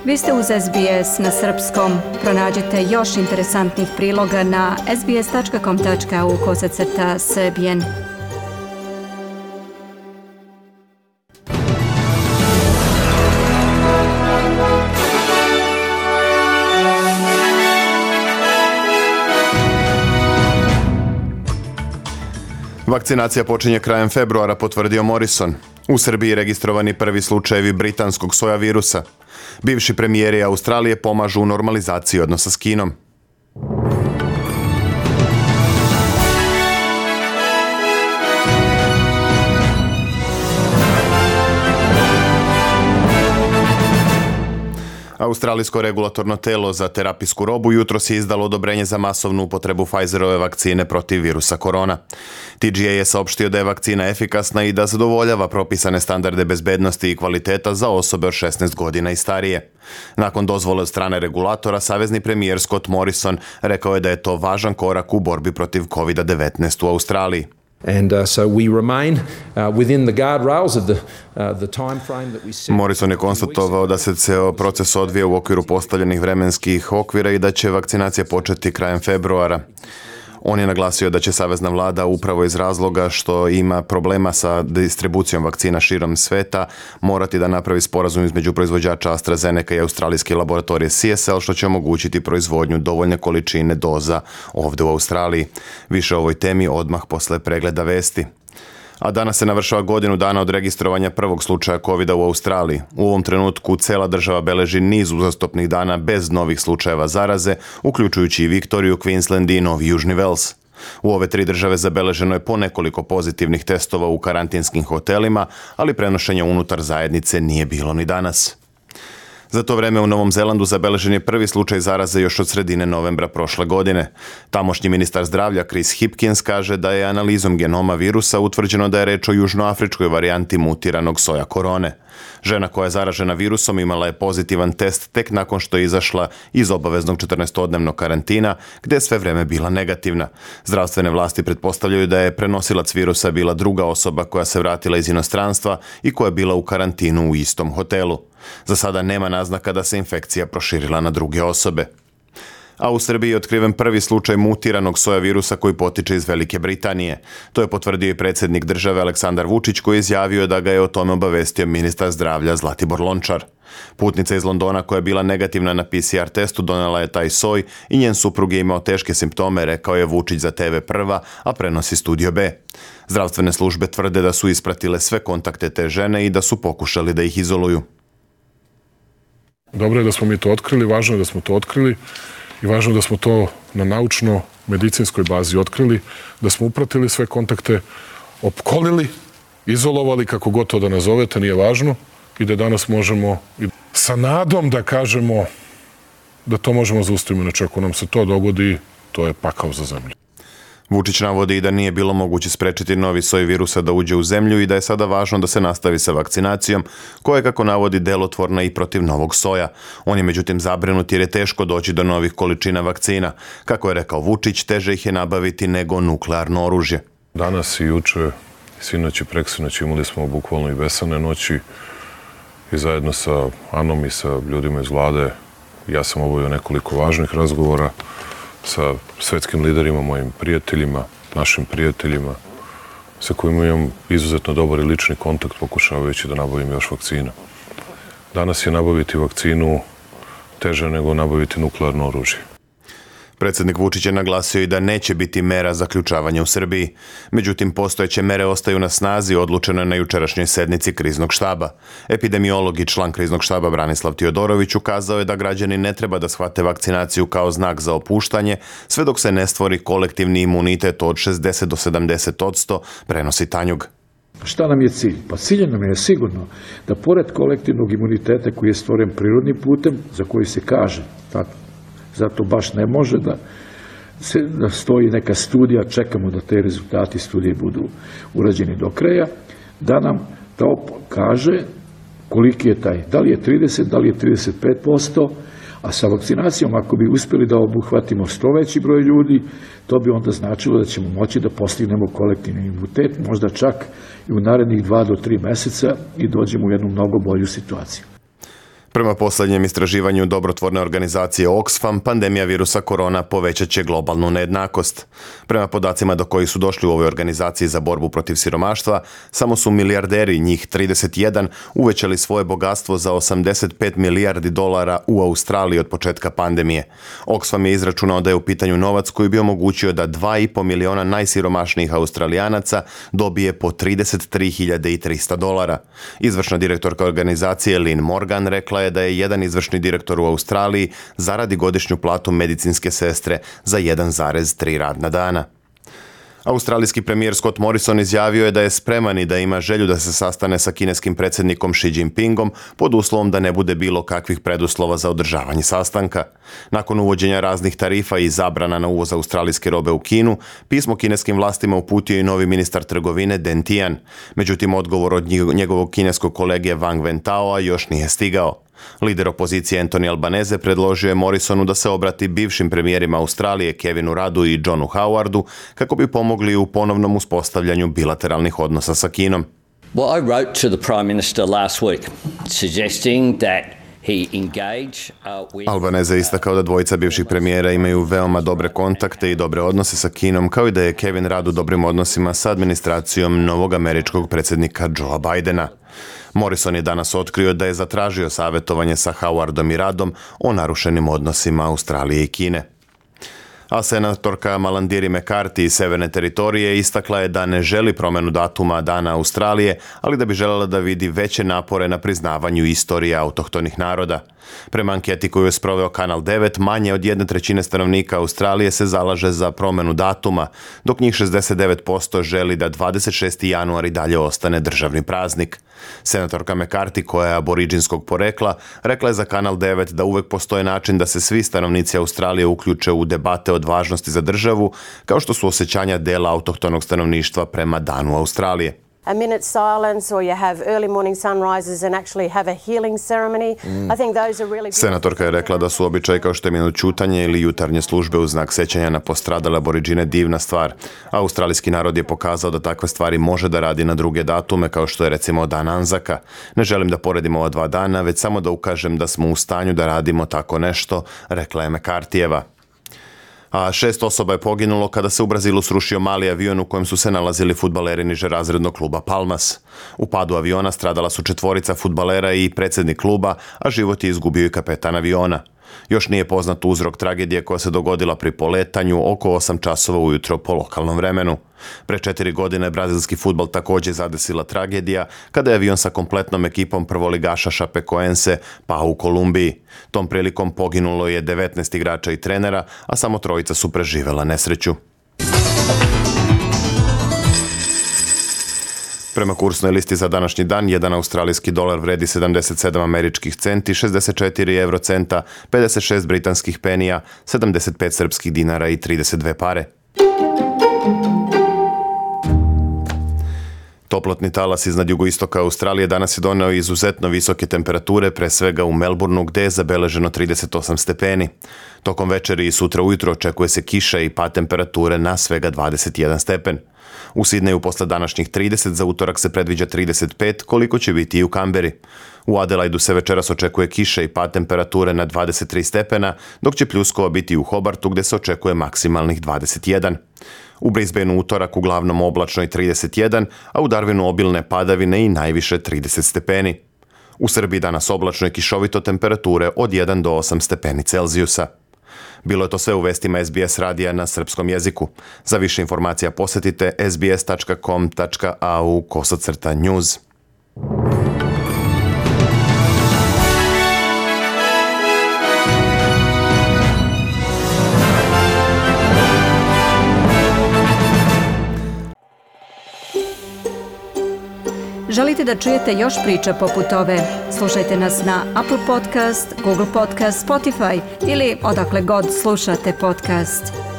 Vi ste uz SBS na srpskom. Pronađite još interesantnih priloga na sbs.com.au/srbijen. Vakcinacija počinje krajem februara, potvrdio Morrison. U Srbiji registrovani prvi slučajevi britanskog soja virusa. Bivši premijeri Australije pomažu u normalizaciji odnosa s Kinom. Australijsko regulatorno telo za terapijsku robu jutros je izdalo odobrenje za masovnu upotrebu Pfizerove vakcine protiv virusa korona. TGA je saopštio da je vakcina efikasna i da zadovoljava propisane standarde bezbednosti i kvaliteta za osobe od 16 godina i starije. Nakon dozvole od strane regulatora, savezni premijer Scott Morrison rekao je da je to važan korak u borbi protiv COVID-19 u Australiji. Morrison je konstatovao da se ceo proces odvija u okviru postavljenih vremenskih okvira i da će vakcinacija početi krajem februara. On je naglasio da će savezna vlada upravo iz razloga što ima problema sa distribucijom vakcina širom sveta morati da napravi sporazum između proizvođača AstraZeneca i australijske laboratorije CSL, što će omogućiti proizvodnju dovoljne količine doza ovdje u Australiji. Više o ovoj temi odmah posle pregleda vesti. A danas se navršava godinu dana od registrovanja prvog slučaja COVID-a u Australiji. U ovom trenutku cela država beleži niz uzastopnih dana bez novih slučajeva zaraze, uključujući i Viktoriju, Queensland i Novi Južni Vels. U ove tri države zabeleženo je po nekoliko pozitivnih testova u karantinskim hotelima, ali prenošenja unutar zajednice nije bilo ni danas. Za to vreme u Novom Zelandu zabeležen je prvi slučaj zaraze još od sredine novembra prošle godine. Tamošnji ministar zdravlja Chris Hipkins kaže da je analizom genoma virusa utvrđeno da je reč o južnoafričkoj varijanti mutiranog soja korone. Žena koja je zaražena virusom imala je pozitivan test tek nakon što je izašla iz obaveznog 14-dnevnog karantina, gdje je sve vreme bila negativna. Zdravstvene vlasti pretpostavljaju da je prenosilac virusa bila druga osoba koja se vratila iz inostranstva i koja je bila u karantinu u istom hotelu. Za sada nema naznaka da se infekcija proširila na druge osobe. A u Srbiji je otkriven prvi slučaj mutiranog soja virusa koji potiče iz Velike Britanije. To je potvrdio i predsjednik države Aleksandar Vučić, koji je izjavio da ga je o tome obavestio ministar zdravlja Zlatibor Lončar. Putnica iz Londona koja je bila negativna na PCR testu donela je taj soj i njen suprug je imao teške simptome, rekao je Vučić za TV Prva, a prenosi Studio B. Zdravstvene službe tvrde da su ispratile sve kontakte te žene i da su pokušali da ih izoluju. Dobro je da smo mi to otkrili, važno je da smo to otkrili i važno je da smo to na naučno-medicinskoj bazi otkrili, da smo upratili sve kontakte, opkolili, izolovali, kako god to da nazovete, nije važno, i da danas možemo sa nadom da kažemo da to možemo zaustaviti. Inače, ako nam se to dogodi, to je pakao za zemlju. Vučić navodi i da nije bilo moguće sprečiti novi soj virusa da uđe u zemlju i da je sada važno da se nastavi sa vakcinacijom, koja je, kako navodi, delotvorna i protiv novog soja. On je međutim zabrinut jer je teško doći do novih količina vakcina. Kako je rekao Vučić, teže ih je nabaviti nego nuklearno oružje. Danas i juče, sinoć i preksinoć imali smo bukvalno i besane noći i zajedno sa Anom i sa ljudima iz vlade ja sam obavio nekoliko važnih razgovora sa svetskim liderima, mojim prijateljima, našim prijateljima, sa kojima imam izuzetno dobar i lični kontakt, pokušavajući da nabavim još vakcina. Danas je nabaviti vakcinu teže nego nabaviti nuklearno oružje. Predsjednik Vučić je naglasio i da neće biti mera zaključavanja u Srbiji. Međutim, postojeće mere ostaju na snazi, odlučeno je na jučerašnjoj sednici kriznog štaba. Epidemiolog i član kriznog štaba Branislav Tiodorović ukazao je da građani ne treba da shvate vakcinaciju kao znak za opuštanje, sve dok se ne stvori kolektivni imunitet od 60 do 70%, prenosi Tanjug. Šta nam je cilj? Pa cilj nam je sigurno da pored kolektivnog imuniteta koji je stvoren prirodnim putem, za koji se kaže, zato baš ne može da stoji neka studija, čekamo da te rezultati studije budu urađeni do kraja, da nam to kaže koliki je taj, da li je 30, da li je 35%, a sa vakcinacijom ako bi uspjeli da obuhvatimo što veći broj ljudi, to bi onda značilo da ćemo moći da postignemo kolektivni imunitet, možda čak i u narednih 2 do 3 meseca i dođemo u jednu mnogo bolju situaciju. Prema posljednjem istraživanju dobrotvorne organizacije Oxfam, pandemija virusa korona povećat će globalnu nejednakost. Prema podacima do kojih su došli u ovoj organizaciji za borbu protiv siromaštva, samo su milijarderi, njih 31, uvećali svoje bogatstvo za 85 milijardi dolara u Australiji od početka pandemije. Oxfam je izračunao da je u pitanju novac koji bi omogućio da 2,5 miliona najsiromašnijih Australijanaca dobije po $33.300. Izvršna direktorka organizacije Lynn Morgan rekla je da je jedan izvršni direktor u Australiji zaradi godišnju platu medicinske sestre za 1,3 radna dana. Australijski premijer Scott Morrison izjavio je da je spreman i da ima želju da se sastane sa kineskim predsjednikom Xi Jinpingom pod uslovom da ne bude bilo kakvih preduslova za održavanje sastanka. Nakon uvođenja raznih tarifa i zabrana na uvoz australijske robe u Kinu, pismo kineskim vlastima uputio i novi ministar trgovine Deng Tian. Međutim, odgovor od njegovog kineskog kolege Wang Wentaoa još nije stigao. Lider opozicije Anthony Albanese predložio je Morrisonu da se obrati bivšim premijerima Australije Kevinu Ruddu i Johnu Howardu kako bi pomogli u ponovnom uspostavljanju bilateralnih odnosa sa Kinom. Well, I wrote to the Prime Minister last week suggesting that he engage with... Albanese je istakao da dvojica bivših premijera imaju veoma dobre kontakte i dobre odnose sa Kinom, kao i da je Kevin Rudd u dobrim odnosima sa administracijom novog američkog predsjednika Joea Bidena. Morrison je danas otkrio da je zatražio savjetovanje sa Howardom i Ruddom o narušenim odnosima Australije i Kine. A senatorka Malandiri McCarthy iz Severne teritorije istakla je da ne želi promjenu datuma Dana Australije, ali da bi željela da vidi veće napore na priznavanju istorije autohtonih naroda. Prema anketi koju je sproveo Kanal 9, manje od 1/3 stanovnika Australije se zalaže za promjenu datuma, dok njih 69% želi da 26. januar i dalje ostane državni praznik. Senatorka McCarthy, koja je aboriđinskog porekla, rekla je za Kanal 9 da uvek postoji način da se svi stanovnici Australije uključe u debate od važnosti za državu, kao što su osjećanja dela autohtonog stanovništva prema Danu Australije. A minute's silence or you have early morning sunrises and actually have a healing ceremony. I think those are really... Senatorka je rekla da su običaji kao što je minut ćutanje ili jutarnje službe u znak sećanja na postradale aboriđine divna stvar. Australijski narod je pokazao da takve stvari može da radi na druge datume, kao što je recimo Dan Anzaka. Ne želim da poredimo ova dva dana, već samo da ukažem da smo u stanju da radimo tako nešto, rekla je McCarthyjeva. A 6 osoba je poginulo kada se u Brazilu srušio mali avion u kojem su se nalazili fudbaleri nižerazrednog kluba Palmas. U padu aviona stradala su 4 fudbalera i predsjednik kluba, a život je izgubio i kapetan aviona. Još nije poznat uzrok tragedije koja se dogodila pri poletanju oko 8 časova ujutro po lokalnom vremenu. Pre 4 godine brazilski fudbal također zadesila tragedija kada je avion sa kompletnom ekipom prvoligaša Chapecoense pao u Kolumbiji. Tom prilikom poginulo je 19 igrača i trenera, a samo 3 su preživjela nesreću. Prema kursnoj listi za današnji dan, 1 australijski dolar vredi 77 američkih centi, 64 eurocenta, 56 britanskih penija, 75 srpskih dinara i 32 pare. Toplotni talas iznad jugoistoka Australije danas je doneo izuzetno visoke temperature, pre svega u Melbourneu gdje je zabeleženo 38 stepeni. Tokom večeri i sutra ujutro očekuje se kiša i pad temperature na svega 21 stepen. U Sidneju posle današnjih 30, za utorak se predviđa 35, koliko će biti i u Kamberi. U Adelaidu se večeras očekuje kiša i pad temperature na 23 stepena, dok će pljuskova biti u Hobartu gdje se očekuje maksimalnih 21. U Brisbaneu utorak uglavnom oblačno i 31, a u Darwinu obilne padavine i najviše 30 stepeni. U Srbiji danas oblačno i kišovito, temperature od 1 do 8 stepeni Celzijusa. Bilo je to sve u vestima SBS radija na srpskom jeziku. Za više informacija posjetite sbs.com.au/news. Želite da čujete još priča poput ove? Slušajte nas na Apple Podcast, Google Podcast, Spotify ili odakle god slušate podcast.